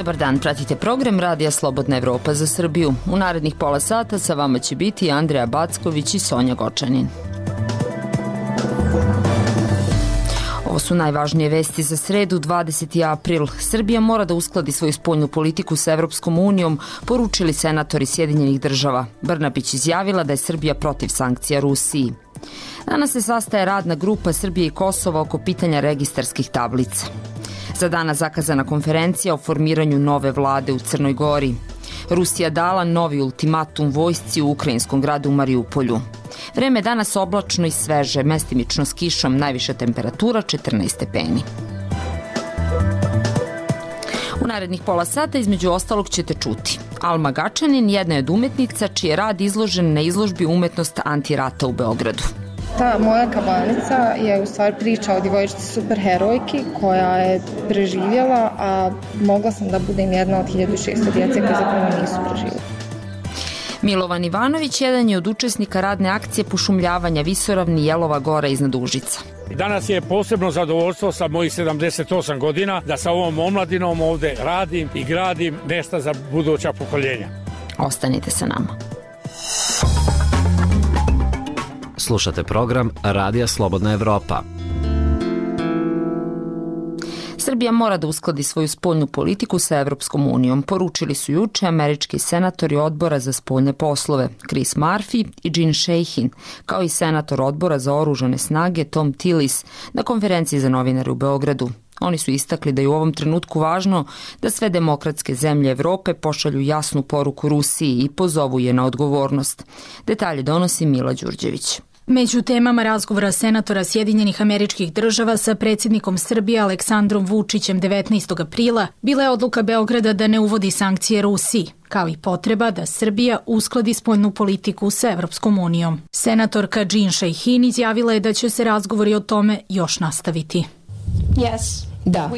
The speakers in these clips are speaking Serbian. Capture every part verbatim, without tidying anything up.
Dobar dan, pratite program Radija Slobodna Evropa za Srbiju. U narednih pola sata sa vama će biti Andreja Backović i Sonja Gočanin. Ovo su najvažnije vesti za sredu, dvadeseti april. Srbija mora da uskladi svoju spoljnu politiku sa Evropskom unijom, poručili senatori Sjedinjenih država. Brnabić izjavila da je Srbija protiv sankcija Rusiji. Danas se sastaje radna grupa Srbije i Kosova oko pitanja registarskih tablica. Za danas zakazana konferencija o formiranju nove vlade u Crnoj Gori. Rusija dala novi ultimatum vojsci u ukrajinskom gradu Mariupolju. Vreme danas oblačno i sveže, mestimično s kišom, najviša temperatura četrnaest stepeni. U narednih pola sata između ostalog ćete čuti. Alma Gačanin jedna je od umetnica čiji je rad izložen na izložbi Umetnost antirata u Beogradu. Ta moja kabanica je u stvari priča o djevojčici superherojki koja je preživjela, a mogla sam da budem jedna od hiljadu šesto djece koje zapravo nisu preživjeli. Milovan Ivanović jedan je od učesnika radne akcije pošumljavanja Visoravni Jelova Gora iznad Užica. Danas je posebno zadovoljstvo sa mojih sedamdeset osam godina da sa ovom omladinom ovde radim i gradim nešto za buduća pokoljenja. Ostanite sa nama. Slušate program Radija Slobodna Evropa. Srbija mora da uskladi svoju spoljnu politiku sa Evropskom unijom, poručili su juče američki senatori odbora za spoljne poslove Chris Murphy i Jean Shaheen, kao i senator odbora za oružane snage Tom Tillis na konferenciji za novinare u Beogradu. Oni su istakli da je u ovom trenutku važno da sve demokratske zemlje Evrope pošalju jasnu poruku Rusiji i pozovu je na odgovornost. Detalje donosi Mila Đurđević. Među temama razgovora senatora Sjedinjenih Američkih Država sa predsjednikom Srbije Aleksandrom Vučićem devetnaestog aprila bila je odluka Beograda da ne uvodi sankcije Rusiji, kao i potreba da Srbija uskladi spoljnu politiku sa Evropskom unijom. Senatorka Jean Shaheen izjavila je da će se razgovori o tome još nastaviti. Yes. Da,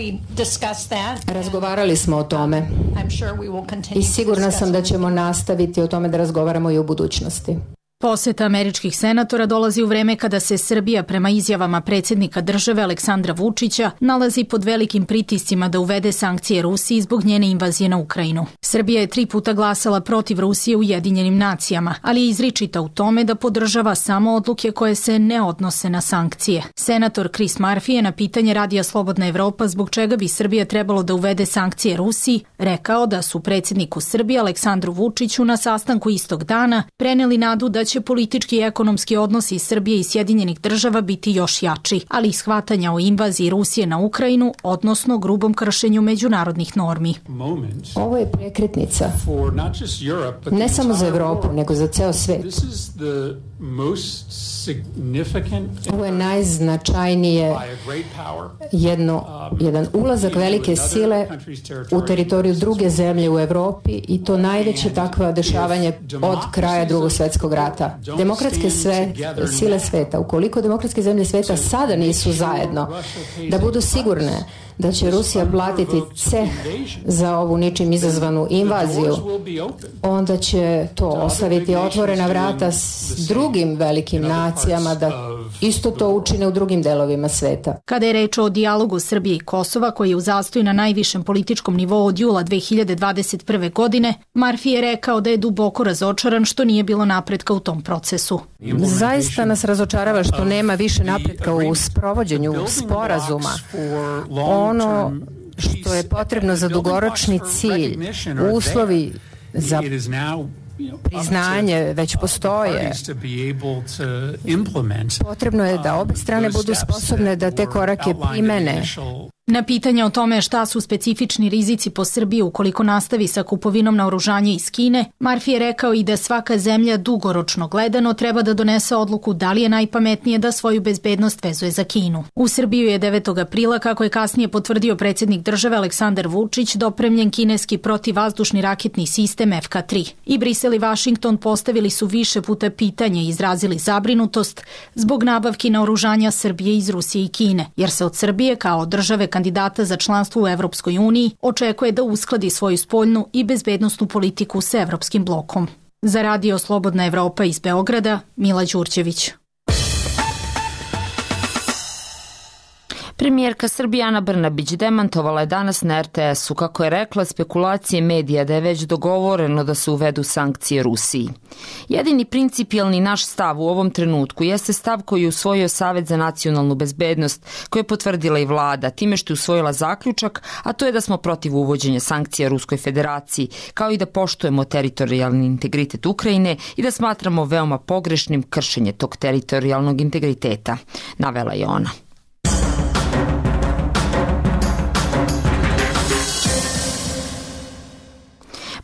razgovarali smo o tome i sigurna sam da ćemo nastaviti o tome da razgovaramo i u budućnosti. Poseta američkih senatora dolazi u vreme kada se Srbija, prema izjavama predsjednika države Aleksandra Vučića, nalazi pod velikim pritiscima da uvede sankcije Rusiji zbog njene invazije na Ukrajinu. Srbija je tri puta glasala protiv Rusije u Ujedinjenim nacijama, ali je izričita u tome da podržava samo odluke koje se ne odnose na sankcije. Senator Chris Murphy je na pitanje Radija Slobodna Evropa zbog čega bi Srbija trebalo da uvede sankcije Rusiji rekao da su predsjedniku Srbije Aleksandru Vučiću na sastanku istog dana preneli nadu da će politički i ekonomski odnosi Srbije i Sjedinjenih država biti još jači, ali i shvatanja o invaziji Rusije na Ukrajinu, odnosno grubom kršenju međunarodnih normi. Ovo je prekretnica, ne samo za Evropu, nego za ceo svet. Ovo je najznačajnije jedno, jedan ulazak velike sile u teritoriju druge zemlje u Evropi i to najveće takva dešavanje od kraja Drugog svjetskog rata. Demokratske sve, sile sveta, ukoliko demokratske zemlje sveta sada nisu zajedno, da budu sigurne da će Rusija platiti ceh za ovu ničim izazvanu invaziju, onda će to ostaviti otvorena vrata s drugim velikim nacijama da isto to učine u drugim delovima sveta. Kada je reč o dijalogu Srbije i Kosova, koji je u zastoju na najvišem političkom nivou od jula dve hiljade dvadeset prve. godine, Murphy je rekao da je duboko razočaran što nije bilo napretka u tom procesu. Zaista nas razočarava što nema više napretka u sprovođenju sporazuma. Ono što je potrebno za dugoročni cilj, uslovi za priznanje već postoje. Potrebno je da obe strane budu sposobne da te korake primene. Na pitanje o tome šta su specifični rizici po Srbiji ukoliko nastavi sa kupovinom naoružanja iz Kine, Murphy je rekao i da svaka zemlja dugoročno gledano treba da donese odluku da li je najpametnije da svoju bezbednost vezuje za Kinu. U Srbiju je devetog aprila, kako je kasnije potvrdio predsjednik države Aleksandar Vučić, dopremljen kineski protivvazdušni raketni sistem F K tri. I Brisel i Vašington postavili su više puta pitanje i izrazili zabrinutost zbog nabavki naoružanja Srbije iz Rusije i Kine, jer se od Srbije kao države kandidata za članstvo u Evropskoj uniji očekuje da uskladi svoju spoljnu i bezbednosnu politiku s Evropskim blokom. Za Radio Slobodna Evropa iz Beograda, Mila Đurđević. Premijerka Srbije Ana Brnabić demantovala je danas na er te esu kako je rekla spekulacije medija da je već dogovoreno da se uvedu sankcije Rusiji. Jedini principijalni naš stav u ovom trenutku jeste stav koji je usvojio Savet za nacionalnu bezbednost, koji je potvrdila i vlada, time što je usvojila zaključak, a to je da smo protiv uvođenja sankcija Ruskoj federaciji, kao i da poštujemo teritorijalni integritet Ukrajine i da smatramo veoma pogrešnim kršenje tog teritorijalnog integriteta, navela je ona.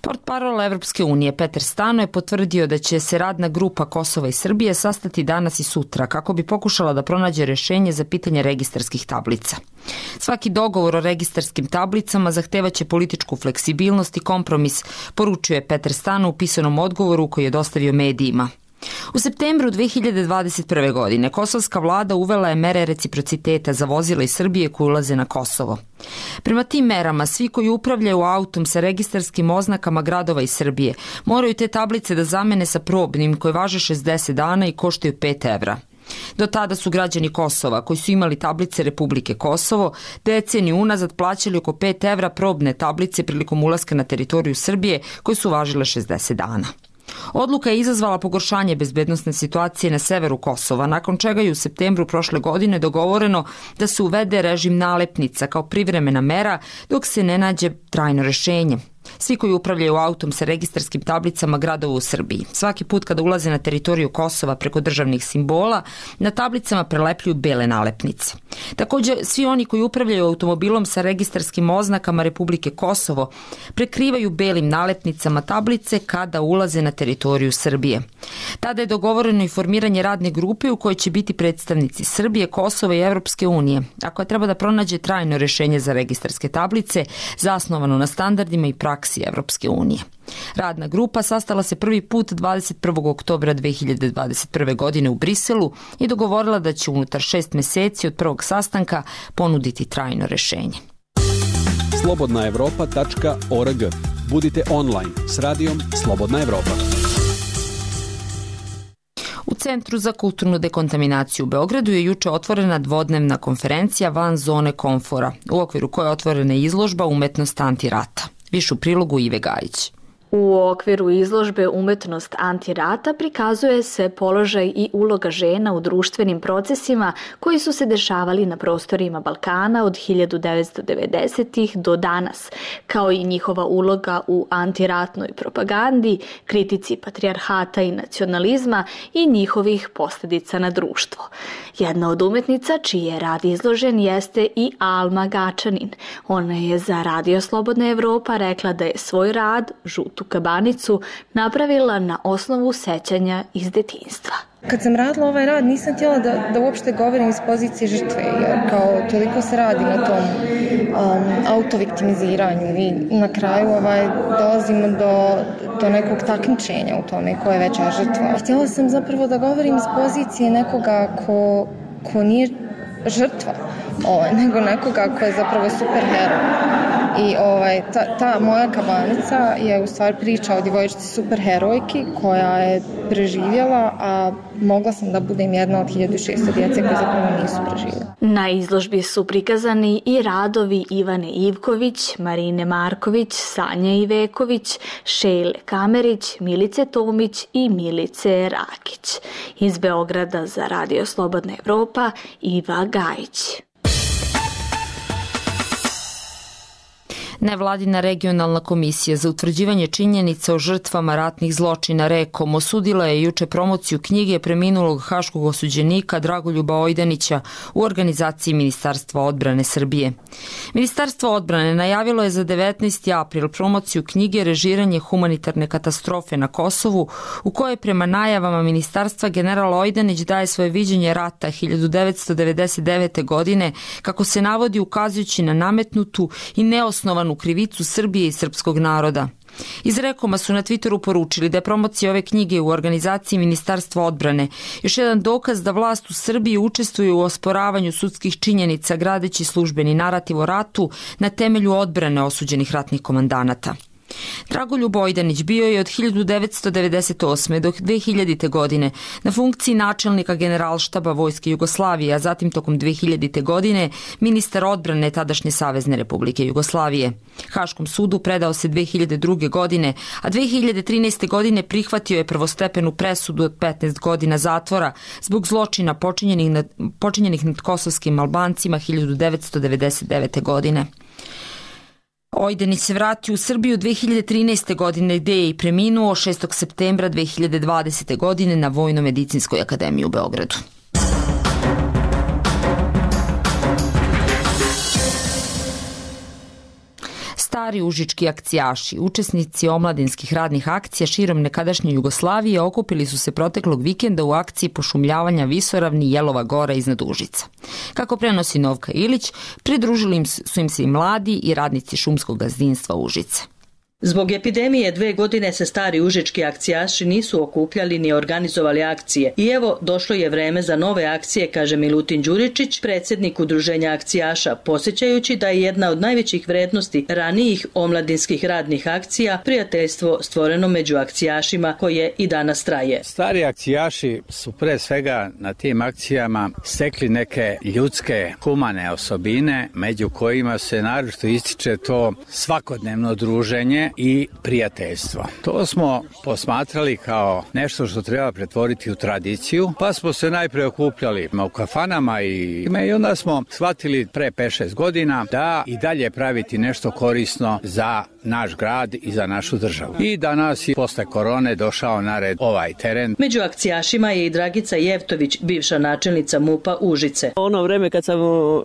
Portparol Evropske unije Petar Stano je potvrdio da će se radna grupa Kosova i Srbije sastati danas i sutra kako bi pokušala da pronađe rešenje za pitanje registarskih tablica. Svaki dogovor o registarskim tablicama zahtevaće političku fleksibilnost i kompromis, poručio je Petar Stano u pisanom odgovoru koji je dostavio medijima. U septembru dve hiljade dvadeset prve. godine kosovska vlada uvela je mere reciprociteta za vozila iz Srbije koji ulaze na Kosovo. Prema tim merama, svi koji upravljaju autom sa registarskim oznakama gradova iz Srbije moraju te tablice da zamene sa probnim koje važe šezdeset dana i koštaju pet evra. Do tada su građani Kosova, koji su imali tablice Republike Kosovo, deceniju unazad plaćali oko pet evra probne tablice prilikom ulaska na teritoriju Srbije koje su važile šezdeset dana. Odluka je izazvala pogoršanje bezbednosne situacije na severu Kosova, nakon čega je u septembru prošle godine dogovoreno da se uvede režim nalepnica kao privremena mera dok se ne nađe trajno rešenje. Svi koji upravljaju autom sa registarskim tablicama gradova u Srbiji, svaki put kada ulaze na teritoriju Kosova preko državnih simbola, na tablicama prelepljuju bele nalepnice. Također, svi oni koji upravljaju automobilom sa registarskim oznakama Republike Kosovo prekrivaju belim nalepnicama tablice kada ulaze na teritoriju Srbije. Tada je dogovoreno i formiranje radne grupe u kojoj će biti predstavnici Srbije, Kosova i Evropske unije, a koja treba da pronađe trajno rešenje za registarske tablice zasnovano na standardima i praksi Evropske unije. Radna grupa sastala se prvi put dvadeset prvog oktobra dve hiljade dvadeset prve. godine u Briselu i dogovorila da će unutar šest meseci od prvog sastanka ponuditi trajno rešenje. slobodna evropa tačka org. Budite online s radijom Slobodna Evropa. U Centru za kulturnu dekontaminaciju u Beogradu je juče otvorena dvodnevna konferencija van zone komfora, u okviru koje je otvorena izložba Umetnost antirata. Više u prilogu Ive Gajić. U okviru izložbe Umetnost antirata prikazuje se položaj i uloga žena u društvenim procesima koji su se dešavali na prostorima Balkana od hiljadu devetsto devedesetih. do danas, kao i njihova uloga u antiratnoj propagandi, kritici patrijarhata i nacionalizma i njihovih posljedica na društvo. Jedna od umetnica čiji je rad izložen jeste i Alma Gačanin. Ona je za Radio Slobodna Evropa rekla da je svoj rad, Žutu kabanicu, napravila na osnovu sećanja iz detinjstva. Kad sam radila ovaj rad, nisam htjela da, da uopšte govorim iz pozicije žrtve, jer kao toliko se radi na tom um, autoviktimiziranju i na kraju ovaj, dolazimo do, do nekog takmičenja u tome ko je veća žrtva. Htjela sam zapravo da govorim iz pozicije nekoga ko, ko nije žrtva, ovaj, nego nekoga ko je zapravo superhero. I ovaj, ta, ta moja kabanica je u stvari priča o djevojčici superherojki koja je preživjela, a mogla sam da budem jedna od hiljadu šesto djece koje zapravo nisu preživjela. Na izložbi su prikazani i radovi Ivane Ivković, Marine Marković, Sanje Iveković, Šejle Kamerić, Milice Tomić i Milice Rakić. Iz Beograda za Radio Slobodna Evropa, Iva Gajić. Nevladina regionalna komisija za utvrđivanje činjenica o žrtvama ratnih zločina REKOM osudila je juče promociju knjige preminulog haškog osuđenika Dragoljuba Ojdanića u organizaciji Ministarstva odbrane Srbije. Ministarstvo odbrane najavilo je za devetnaesti april promociju knjige Režiranje humanitarne katastrofe na Kosovu, u kojoj prema najavama ministarstva general Ojdanić daje svoje viđenje rata hiljadu devetsto devedeset devete. godine, kako se navodi ukazujući na nametnutu i neosnovanu krivicu Srbije i srpskog naroda. Iz Rekoma su na Twitteru poručili da je promocija ove knjige u organizaciji Ministarstva odbrane još jedan dokaz da vlast u Srbiji učestvuje u osporavanju sudskih činjenica gradeći službeni narativ o ratu na temelju odbrane osuđenih ratnih komandanata. Dragoljub Ojdanić bio je od hiljadu devetsto devedeset osme do dve hiljadite. godine na funkciji načelnika Generalštaba Vojske Jugoslavije, a zatim tokom dve hiljadite. godine ministar odbrane tadašnje Savezne Republike Jugoslavije. Haškom sudu predao se dve hiljade druge. godine, a dve hiljade trinaeste. godine prihvatio je prvostepenu presudu od petnaest godina zatvora zbog zločina počinjenih nad, počinjenih nad kosovskim Albancima hiljadu devetsto devedeset devete. godine. Ojdanić se vratio u Srbiju dve hiljade trinaeste. godine gde je i preminuo šestog septembra dve hiljade dvadesete. godine na Vojno-medicinskoj akademiji u Beogradu. Stari užički akcijaši, učesnici omladinskih radnih akcija širom nekadašnje Jugoslavije, okupili su se proteklog vikenda u akciji pošumljavanja visoravni Jelova Gora iznad Užica. Kako prenosi Novka Ilić, pridružili su im se i mladi i radnici šumskog gazdinstva Užice. Zbog epidemije dve godine se stari užički akcijaši nisu okupljali ni organizovali akcije i evo došlo je vreme za nove akcije, kaže Milutin Đuričić, predsjednik udruženja akcijaša, posjećajući da je jedna od najvećih vrednosti ranijih omladinskih radnih akcija prijateljstvo stvoreno među akcijašima koje i danas traje. Stari akcijaši su pre svega na tim akcijama stekli neke ljudske humane osobine, među kojima se naročito ističe to svakodnevno druženje i prijateljstvo. To smo posmatrali kao nešto što treba pretvoriti u tradiciju, pa smo se najpre okupljali u kafanama i, i onda smo shvatili pre pet šest godina da i dalje praviti nešto korisno za naš grad i za našu državu. I danas je posle korone došao na red ovaj teren. Među akcijašima je i Dragica Jevtović, bivša načelnica MUP-a Užice. Ono vreme kad sam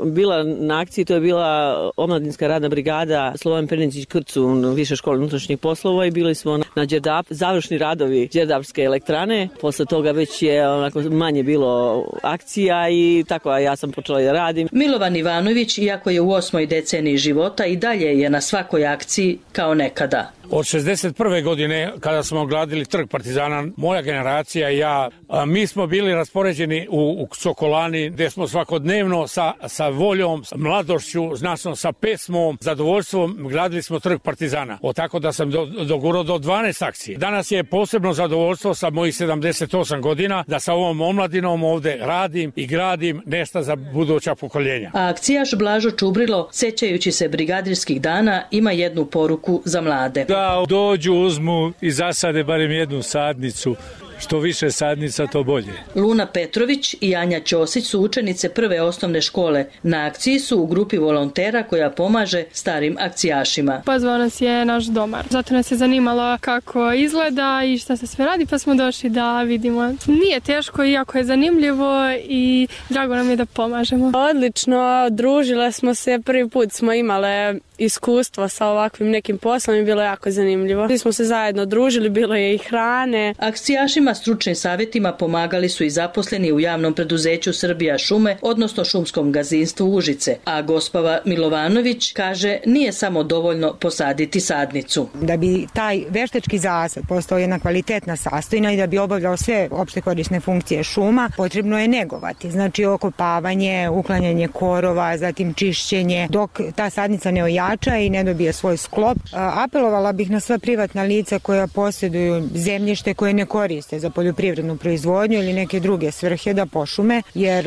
bila na akciji, to je bila omladinska radna brigada Slobodan Perničić Krcu, više škole unutrašnjih poslova i bili smo na Đerdap, završni radovi Đerdapske elektrane. Posle toga već je onako manje bilo akcija i tako ja sam počela da radim. Milovan Ivanović, iako je u osmoj deceniji života, i dalje je na svakoj akciji kao nekada. Od šezdeset prve. godine, kada smo gradili trg Partizana, moja generacija i ja, a, mi smo bili raspoređeni u, u Sokolani, gde smo svakodnevno sa, sa voljom, sa mladošću, značno sa pesmom, zadovoljstvom gradili smo trg Partizana. O tako da sam do, dogurao do dvanaest akcije. Danas je posebno zadovoljstvo sa mojih sedamdeset osam godina da sa ovom omladinom ovde radim i gradim nešto za buduća pokoljenja. A akcijaš Blažo Čubrilo, sećajući se brigadirskih dana, ima jednu poruku za mlade. Da dođu, uzmu i zasade barem jednu sadnicu. Što više sadnica, to bolje. Luna Petrović i Anja Ćosić su učenice prve osnovne škole. Na akciji su u grupi volontera koja pomaže starim akcijašima. Pozvao nas je naš domar. Zato nas je zanimalo kako izgleda i šta se sve radi, pa smo došli da vidimo. Nije teško, iako je zanimljivo i drago nam je da pomažemo. Odlično, družile smo se, prvi put smo imale iskustvo sa ovakvim nekim poslom i bilo je jako zanimljivo. Svi smo se zajedno družili, bilo je i hrane. Akcijašima stručnim savjetima pomagali su i zaposleni u javnom preduzeću Srbija šume, odnosno šumskom gazdinstvu Užice. A gospava Milovanović kaže nije samo dovoljno posaditi sadnicu. Da bi taj veštački zasad postao jedna kvalitetna sastojina i da bi obavljao sve opšte korisne funkcije šuma, potrebno je negovati. Znači okopavanje, uklanjanje korova, zatim čišćenje, dok ta sadnica ne ojača i ne dobije svoj sklop. Apelovala bih na sva privatna lica koja posjeduju zemljište koje ne koriste za poljoprivrednu proizvodnju ili neke druge svrhe da pošume, jer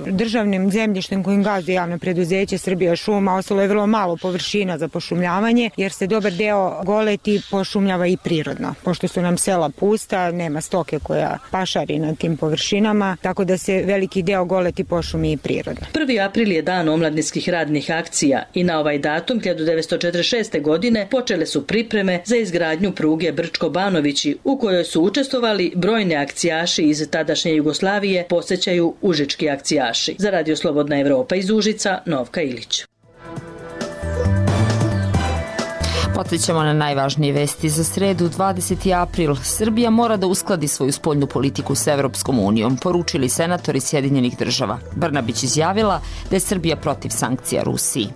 državnim zemljištem kojim gazduje javno preduzeće Srbija šuma ostalo je vrlo malo površina za pošumljavanje, jer se dobar deo goleti pošumljava i prirodno. Pošto su nam sela pusta, nema stoke koja pašari na tim površinama, tako da se veliki deo goleti pošumi i prirodno. prvi april je dan omladinskih radnih akcija i na ovaj datum hiljadu devetsto četrdeset šeste. godine počele su pripreme za izgradnju pruge Brčko-Banovići, u kojoj su učestvovali brojne akcijaši iz tadašnje Jugoslavije, posjećaju užički akcijaši. Za Radio Slobodna Evropa iz Užica, Novka Ilić. Podsjećamo na najvažnije vesti za sredu, dvadeseti april. Srbija mora da uskladi svoju spoljnu politiku s Evropskom unijom, poručili senatori Sjedinjenih država. Brnabić izjavila da je Srbija protiv sankcija Rusiji.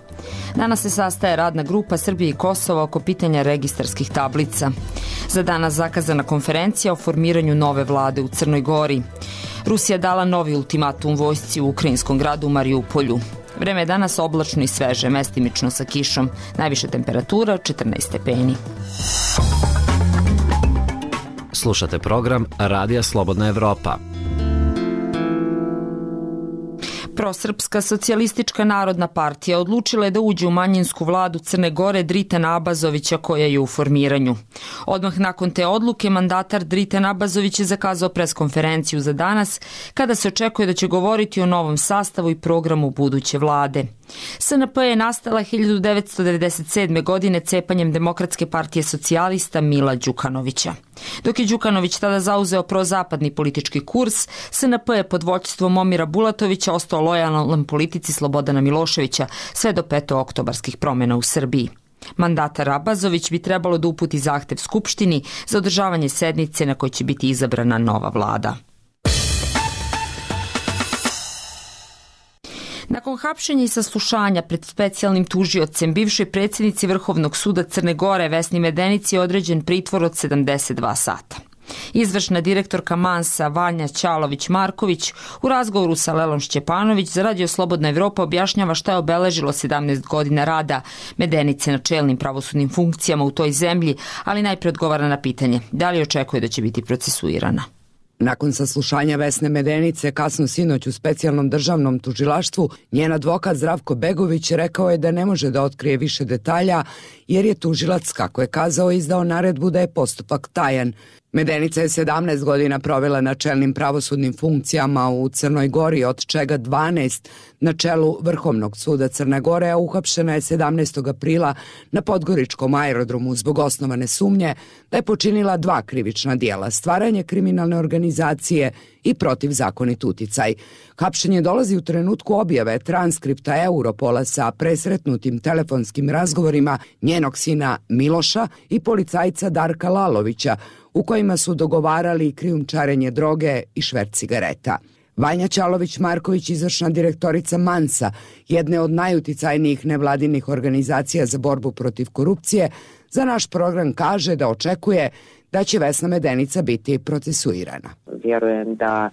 Danas se sastaje radna grupa Srbije i Kosova oko pitanja registarskih tablica. Za danas zakazana konferencija o formiranju nove vlade u Crnoj Gori. Rusija dala novi ultimatum vojsci u ukrajinskom gradu Mariupolju. Vreme je danas oblačno i sveže, mestimično sa kišom. Najviša temperatura četrnaest stepeni. Slušate program Radija Slobodna Evropa. Prosrpska socijalistička narodna partija odlučila je da uđe u manjinsku vladu Crne Gore Dritana Abazovića koja je u formiranju. Odmah nakon te odluke mandatar Dritan Abazović je zakazao preskonferenciju za danas kada se očekuje da će govoriti o novom sastavu i programu buduće vlade. S N P je nastala hiljadu devetsto devedeset sedme. godine cepanjem Demokratske partije socijalista Mila Đukanovića. Dok je Đukanović tada zauzeo prozapadni politički kurs, S N P je pod vođstvom Momira Bulatovića ostao lojalan politici Slobodana Miloševića sve do petooktobarskih promjena u Srbiji. Mandatar Abazović bi trebalo da uputi zahtev Skupštini za održavanje sednice na kojoj će biti izabrana nova vlada. Nakon hapšenja i saslušanja pred specijalnim tužiocem bivšoj predsjednici Vrhovnog suda Crne Gore Vesni Medenici je određen pritvor od sedamdeset dva sata. Izvršna direktorka Mansa Vanja Ćalović-Marković u razgovoru sa Lelom Šćepanović za Radio Slobodna Evropa objašnjava šta je obeležilo sedamnaest godina rada Medenice na čelnim pravosudnim funkcijama u toj zemlji, ali najprije odgovara na pitanje da li očekuje da će biti procesuirana. Nakon saslušanja Vesne Medenice kasno sinoć u specijalnom državnom tužilaštvu, njen advokat Zdravko Begović rekao je da ne može da otkrije više detalja jer je tužilac, kako je kazao, izdao naredbu da je postupak tajan. Medenica je sedamnaest godina provela na čelnim pravosudnim funkcijama u Crnoj Gori, od čega dvanaest na čelu Vrhovnog suda Crne Gore, a uhapšena je sedamnaestog aprila na Podgoričkom aerodromu zbog osnovane sumnje da je počinila dva krivična dijela, stvaranje kriminalne organizacije i protivzakonit uticaj. Hapšenje dolazi u trenutku objave transkripta Europola sa presretnutim telefonskim razgovorima njenog sina Miloša i policajca Darka Lalovića, u kojima su dogovarali krijumčarenje droge i šverc cigareta. Vanja Ćalović-Marković, izvršna direktorica Mansa, jedne od najuticajnijih nevladinih organizacija za borbu protiv korupcije, za naš program kaže da očekuje da će Vesna Medenica biti procesuirana. Vjerujem da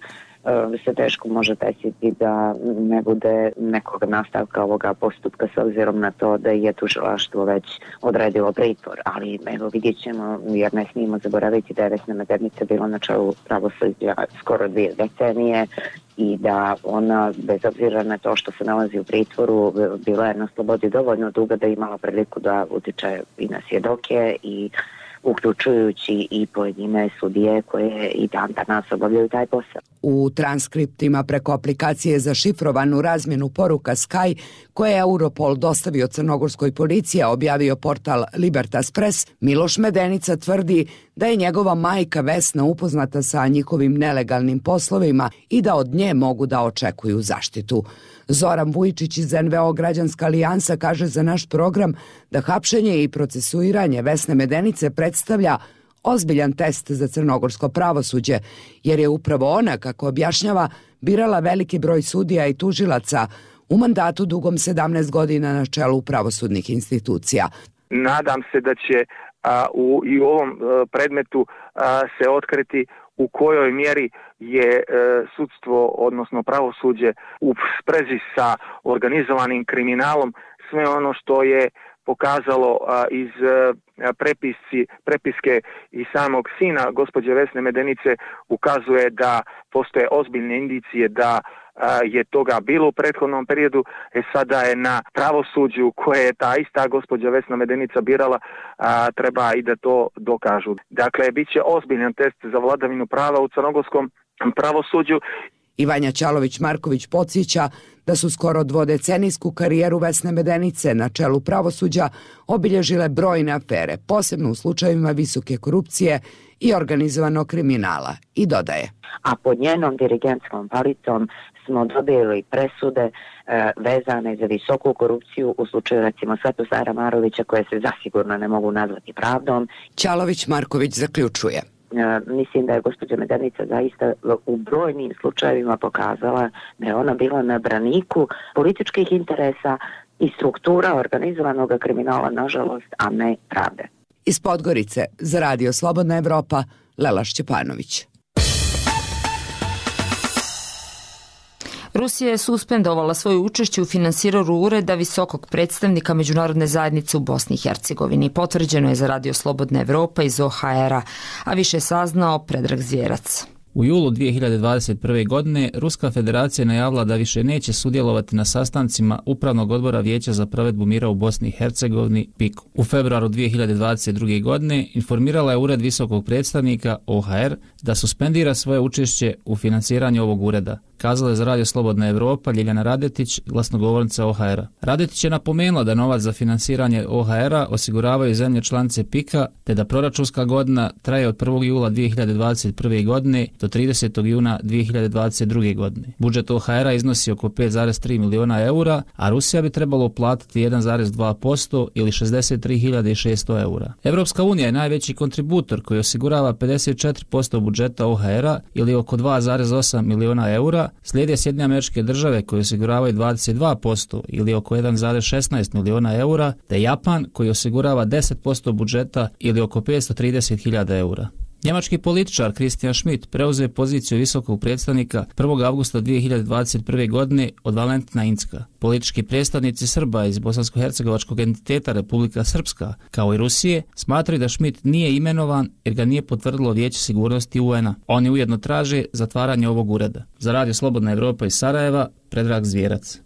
se teško može desiti da ne bude nekog nastavka ovoga postupka s obzirom na to da je tužilaštvo već odredilo pritvor, ali evo vidjet ćemo, jer ne smijemo zaboraviti da je Vesna Medenica bila na čelu pravosuđa skoro dvije decenije i da ona, bez obzira na to što se nalazi u pritvoru, bila je na slobodi dovoljno dugo da je imala priliku da utiče i na svjedoke i uključujući i pojedine sudije koje i dan danas obavljaju taj posao. U transkriptima preko aplikacije za šifrovanu razmjenu poruka Sky, koje je Europol dostavio crnogorskoj policiji, a objavio portal Libertas Press, Miloš Medenica tvrdi da je njegova majka Vesna upoznata sa njihovim nelegalnim poslovima i da od nje mogu da očekuju zaštitu. Zoran Vujičić iz N V O Građanska alijansa kaže za naš program da hapšenje i procesuiranje Vesne Medenice predstavlja ozbiljan test za crnogorsko pravosuđe, jer je upravo ona, kako objašnjava, birala veliki broj sudija i tužilaca u mandatu dugom sedamnaest godina na čelu pravosudnih institucija. Nadam se da će a, u, i u ovom a, predmetu a, se otkriti u kojoj mjeri je e, sudstvo, odnosno pravosuđe, u sprezi sa organizovanim kriminalom. Sve ono što je pokazalo a, iz a, prepisci, prepiske i samog sina gospođe Vesne Medenice ukazuje da postoje ozbiljne indicije da a, je toga bilo u prethodnom periodu. E sada je na pravosuđu koje je ta ista gospođa Vesna Medenica birala, a, treba i da to dokažu. Dakle, bit će ozbiljan test za vladavinu prava u crnogorskom pravosuđu. Vanja Ćalović-Marković podsjeća da su skoro dvodecenijsku karijeru Vesne Medenice na čelu pravosuđa obilježile brojne afere, posebno u slučajevima visoke korupcije i organizovanog kriminala, i dodaje. A pod njenom dirigentskom palicom smo dobili presude e, vezane za visoku korupciju u slučaju recimo Svetozara Marovića, koje se zasigurno ne mogu nazvati pravdom. Ćalović-Marković zaključuje. Mislim da je gospođa Medenica zaista u brojnim slučajevima pokazala da je ona bila na braniku političkih interesa i struktura organizovanog kriminala, nažalost, a ne pravde. Iz Podgorice za Radio Slobodna Evropa, Lela Šćepanović. Rusija je suspendovala svoje učešće u finansiranju ureda visokog predstavnika međunarodne zajednice u Bosni i Hercegovini. Potvrđeno je za Radio Slobodna Evropa iz O H R-a, a više je saznao Predrag Zvjerac. U julu dvije hiljade dvadeset prve. godine Ruska federacija najavila da više neće sudjelovati na sastancima Upravnog odbora Vijeća za provedbu mira u Bosni i Hercegovini P I K. U februaru dvije hiljade dvadeset druge. godine informirala je Ured visokog predstavnika O H R da suspendira svoje učešće u financiranju ovog ureda. Kazala je za Radio Slobodna Evropa Ljiljana Radetić, glasnogovornica O H R-a. Radetić je napomenula da novac za finansiranje O H R-a osiguravaju zemlje članice P I K-a, te da proračunska godina traje od prvog jula dvije hiljade dvadeset prve. godine do tridesetog juna dvije hiljade dvadeset druge. godine. Budžet O H R-a iznosi oko pet zarez tri miliona eura, a Rusija bi trebalo uplatiti jedan zarez dva posto ili šezdeset tri hiljade šesto eura. Evropska unija je najveći kontributor koji osigurava pedeset četiri posto budžeta O H R-a ili oko dva zarez osam miliona eura. Slijede Sjedinjene Američke Države koje osiguravaju dvadeset dva posto ili oko jedan zarez šesnaest miliona eura, te Japan koji osigurava deset posto budžeta ili oko petsto trideset hiljada eura. Njemački političar Christian Schmidt preuzeo poziciju visokog predstavnika prvog avgusta dvije hiljade dvadeset prve. godine od Valentina Incka. Politički predstavnici Srba iz bosansko-hercegovačkog entiteta Republika Srpska, kao i Rusije, smatraju da Schmidt nije imenovan jer ga nije potvrdilo Vijeće sigurnosti U N-a. Oni ujedno traže zatvaranje ovog ureda. Za Radio Slobodna Evropa iz Sarajeva, Predrag Zvjerac.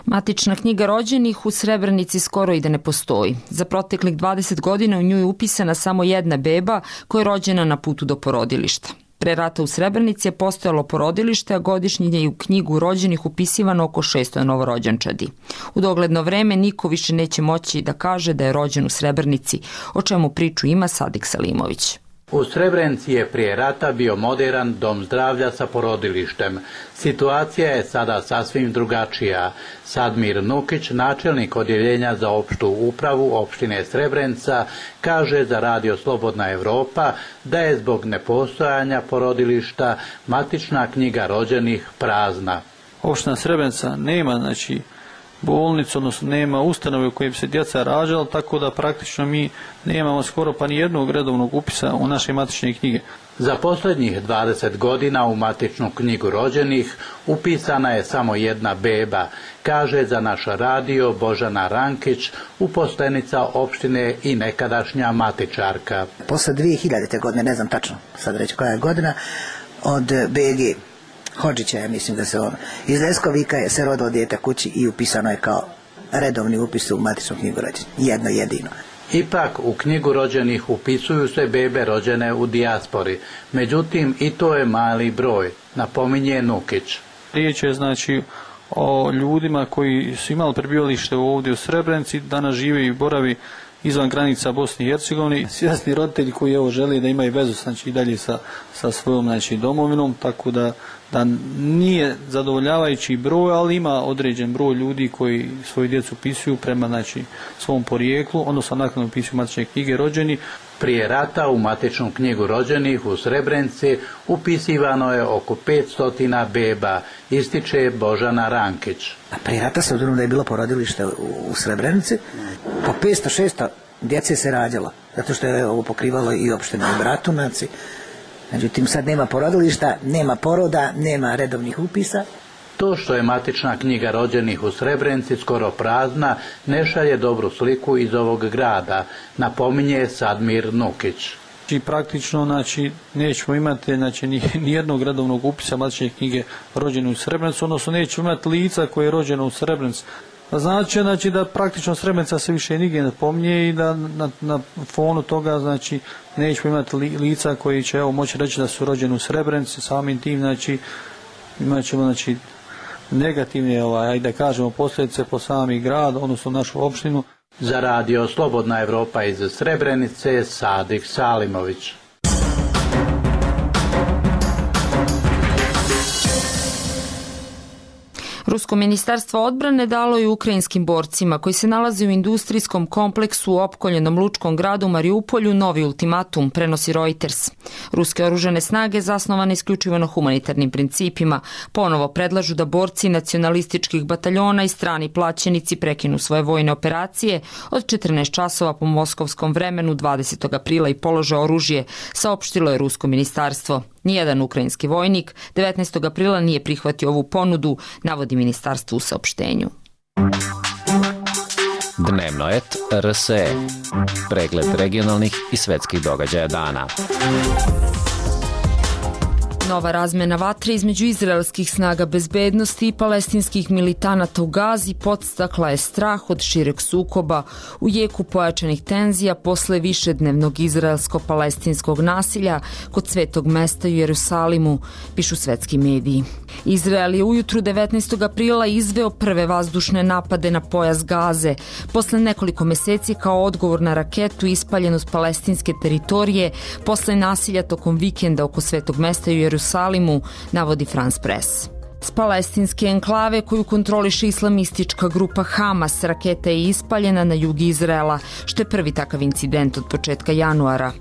Matična knjiga rođenih u Srebrenici skoro i da ne postoji. Za proteklih dvadeset godina u nju je upisana samo jedna beba koja je rođena na putu do porodilišta. Pre rata u Srebrenici je postojalo porodilište, a godišnje je u knjigu rođenih upisivano oko šesto novorođenčadi. U dogledno vreme niko više neće moći da kaže da je rođen u Srebrenici, o čemu priču ima Sadik Salimović. U Srebrenici je prije rata bio moderan dom zdravlja sa porodilištem. Situacija je sada sasvim drugačija. Sadmir Nukić, načelnik odjeljenja za opštu upravu opštine Srebrenica, kaže za Radio Slobodna Evropa da je zbog nepostojanja porodilišta matična knjiga rođenih prazna. Opština Srebrenica nema, znači, bolnicu, odnosno nema ustanove u kojoj bi se djeca rađala, tako da praktično mi nemamo skoro pa ni jednog redovnog upisa u naše matične knjige. Za posljednjih dvadeset godina u matičnu knjigu rođenih upisana je samo jedna beba, kaže za naš radio Božana Rankić, uposlenica opštine i nekadašnja matičarka. Posle dvije hiljadite. godine, ne znam tačno sad reći koja je godina, od B G Hodžića, ja mislim da se on, iz Leskovika je se rodilo dijete kući i upisano je kao redovni upis u matičnu knjigu rođenih. Jedno jedino. Ipak u knjigu rođenih upisuju se bebe rođene u dijaspori. Međutim, i to je mali broj, napominje Nukić. Riječ je znači o ljudima koji su imali prebivalište ovdje u Srebrenici, danas žive i boravi izvan granica Bosne i Hercegovine. Svjesni roditelji koji evo žele da imaju vezu znači i dalje sa, sa svojom znači domovinom, tako da da nije zadovoljavajući broj, ali ima određen broj ljudi koji svoju djecu upisuju prema znači svom porijeklu, odnosno nakon upisuju matične knjige rođeni. Prije rata u matičnu knjigu rođenih u Srebrenici upisivano je oko petsto beba, ističe Božana Rankić. A prije rata se obzirom da je bilo porodilište u Srebrenici, po petsto šesto djece se rađalo, zato što je ovo pokrivalo i opštine i Bratunac. Međutim, sad nema porodilišta, nema poroda, nema redovnih upisa. To što je matična knjiga rođenih u Srebrenici skoro prazna, ne šalje dobru sliku iz ovog grada, napominje Sadmir Nukić. I praktično znači, nećemo imati znači, ni, ni jednog redovnog upisa matične knjige rođene u Srebrenici, odnosno nećemo imati lica koje je rođeno u Srebrenici. Znači, znači da praktično Srebrenica se više nigdje ne pominje i da na, na fonu toga znači nećemo imati li, lica koji će evo moći reći da su rođeni u Srebrenici, samim tim znači imat ćemo znači negativne ovaj, ajde da kažemo posljedice po sami grad, odnosno našu opštinu. Za Radio Slobodna Evropa iz Srebrenice, Sadik Salimović. Rusko ministarstvo odbrane dalo je ukrajinskim borcima koji se nalaze u industrijskom kompleksu u opkoljenom lučkom gradu Mariupolju novi ultimatum, prenosi Reuters. Ruske oružane snage, zasnovane isključivo na humanitarnim principima, ponovo predlažu da borci nacionalističkih bataljona i strani plaćenici prekinu svoje vojne operacije od četrnaest časova po moskovskom vremenu dvadesetog aprila i polože oružje, saopštilo je Rusko ministarstvo. Nijedan ukrajinski vojnik devetnaestog aprila nije prihvatio ovu ponudu, navodi ministarstvo u saopštenju. Dnevno et R S E. Pregled regionalnih i svetskih događaja dana. Nova razmena vatre između izraelskih snaga bezbednosti i palestinskih militanata u Gazi podstakla je strah od šireg sukoba u jeku pojačanih tenzija posle višednevnog izraelsko-palestinskog nasilja kod svetog mesta u Jerusalimu, pišu svetski mediji. Izrael je ujutru devetnaestog aprila izveo prve vazdušne napade na pojas Gaze, posle nekoliko meseci kao odgovor na raketu ispaljenu s palestinske teritorije posle nasilja tokom vikenda oko svetog mesta u Jerusalimu, navodi France Press. S palestinske enklave koju kontroliše islamistička grupa Hamas, raketa je ispaljena na jug Izraela, što je prvi takav incident od početka januara.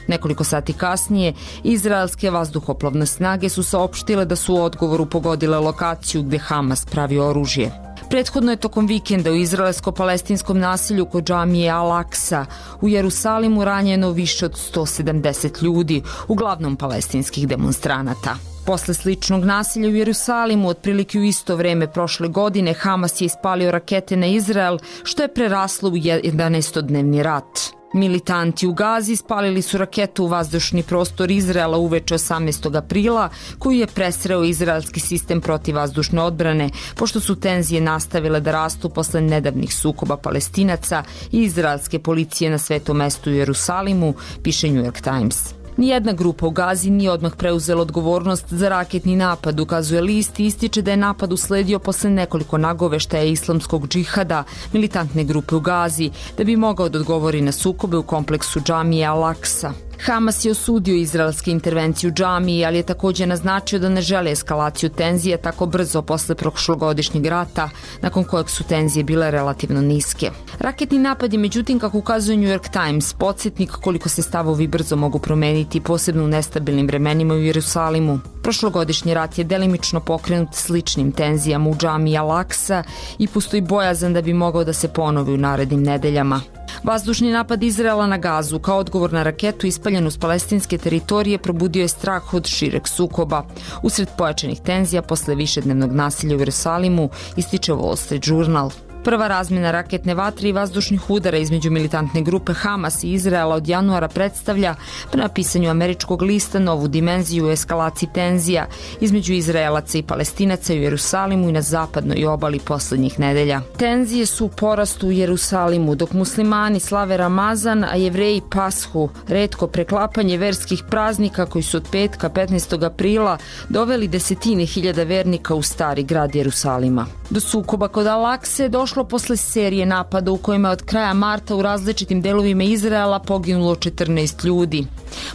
Nekoliko sati kasnije, izraelske vazduhoplovne snage su saopštile da su u odgovoru pogodile lokaciju gde Hamas pravi oružje. Prethodno je tokom vikenda u izraelsko-palestinskom nasilju kod džamije Al-Aksa u Jerusalimu ranjeno više od sto sedamdeset ljudi, uglavnom palestinskih demonstranata. Posle sličnog nasilja u Jerusalimu, otprilike u isto vreme prošle godine, Hamas je ispalio rakete na Izrael, što je preraslo u jedanaestodnevni rat. Militanti u Gazi spalili su raketu u vazdušni prostor Izraela uveče osamnaestog aprila, koju je presreo izraelski sistem protivvazdušne odbrane, pošto su tenzije nastavile da rastu posle nedavnih sukoba Palestinaca i izraelske policije na svetom mestu u Jerusalimu, piše New York Times. Nijedna grupa u Gazi nije odmah preuzela odgovornost za raketni napad, ukazuje list i ističe da je napad usledio posle nekoliko nagoveštaja islamskog džihada, militantne grupe u Gazi, da bi mogao da odgovori na sukobe u kompleksu džamije Al-Aksa. Hamas je osudio izraelske intervencije u džamiji, ali je takođe naznačio da ne žele eskalaciju tenzija tako brzo posle prošlogodišnjeg rata, nakon kojeg su tenzije bile relativno niske. Raketni napad je, međutim, kako ukazuje New York Times, podsjetnik koliko se stavovi brzo mogu promeniti, posebno u nestabilnim vremenima u Jerusalimu. Prošlogodišnji rat je delimično pokrenut sličnim tenzijama u džamiji Al-Aksa i postoji bojazan da bi mogao da se ponovi u narednim nedeljama. Vazdušni napad Izraela na Gazu kao odgovor na raketu ispaljenu s palestinske teritorije probudio je strah od šireg sukoba. Usred pojačanih tenzija posle višednevnog nasilja u Jerusalimu, ističe Wall Street Journal. Prva razmjena raketne vatre i vazdušnih udara između militantne grupe Hamas i Izraela od januara predstavlja, prema pisanju američkog lista, novu dimenziju u eskalaciji tenzija između Izraelaca i Palestinaca u Jerusalimu i na zapadnoj obali poslednjih nedelja. Tenzije su u porastu u Jerusalimu, dok muslimani slave Ramazan, a Jevreji Pashu, retko preklapanje verskih praznika koji su od petka petnaestog aprila doveli desetine hiljada vernika u stari grad Jerusalima. Do sukoba kod Al-Akse došlo posle serije napada u kojima je od kraja marta u različitim delovima Izraela poginulo četrnaest ljudi.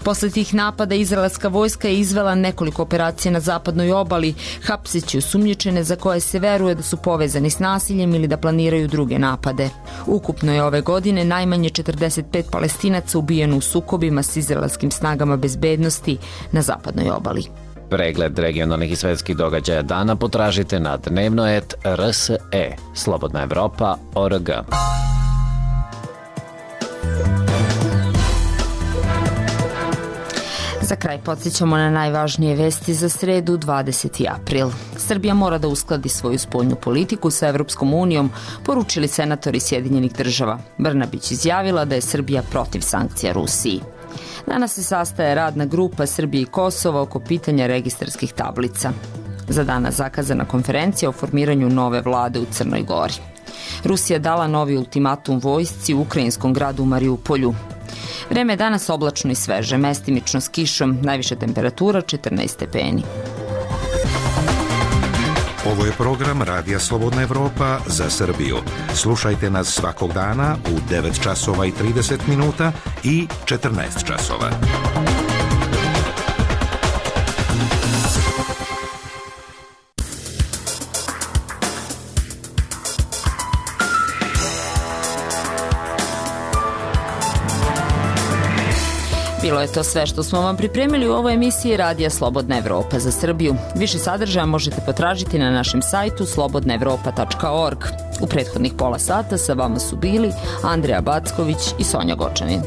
Posle tih napada izraelska vojska je izvela nekoliko operacija na zapadnoj obali, hapseći osumnjičene za koje se veruje da su povezani s nasiljem ili da planiraju druge napade. Ukupno je ove godine najmanje četrdeset pet Palestinaca ubijeno u sukobima s izraelskim snagama bezbednosti na zapadnoj obali. Pregled regionalnih i svetskih događaja dana potražite na dnevno et R S E, Slobodna Evropa, O R G. Za kraj podsjećamo na najvažnije vesti za sredu, dvadeseti april. Srbija mora da uskladi svoju spoljnu politiku sa Evropskom unijom, poručili senatori Sjedinjenih država. Brnabić izjavila da je Srbija protiv sankcija Rusiji. Danas se sastaje radna grupa Srbije i Kosova oko pitanja registarskih tablica. Za danas zakazana konferencija o formiranju nove vlade u Crnoj Gori. Rusija dala novi ultimatum vojsci u ukrajinskom gradu Mariupolju. Vreme je danas oblačno i sveže, mestimično s kišom, najviša temperatura četrnaest stepeni. Ovo je program Radija Slobodna Evropa za Srbiju. Slušajte nas svakog dana u devet časova i trideset minuta i četrnaest časova. Bilo je to sve što smo vam pripremili u ovoj emisiji Radija Slobodna Evropa za Srbiju. Više sadržaja možete potražiti na našem sajtu slobodna evropa tačka org. U prethodnih pola sata sa vama su bili Andreja Backović i Sonja Gočanin.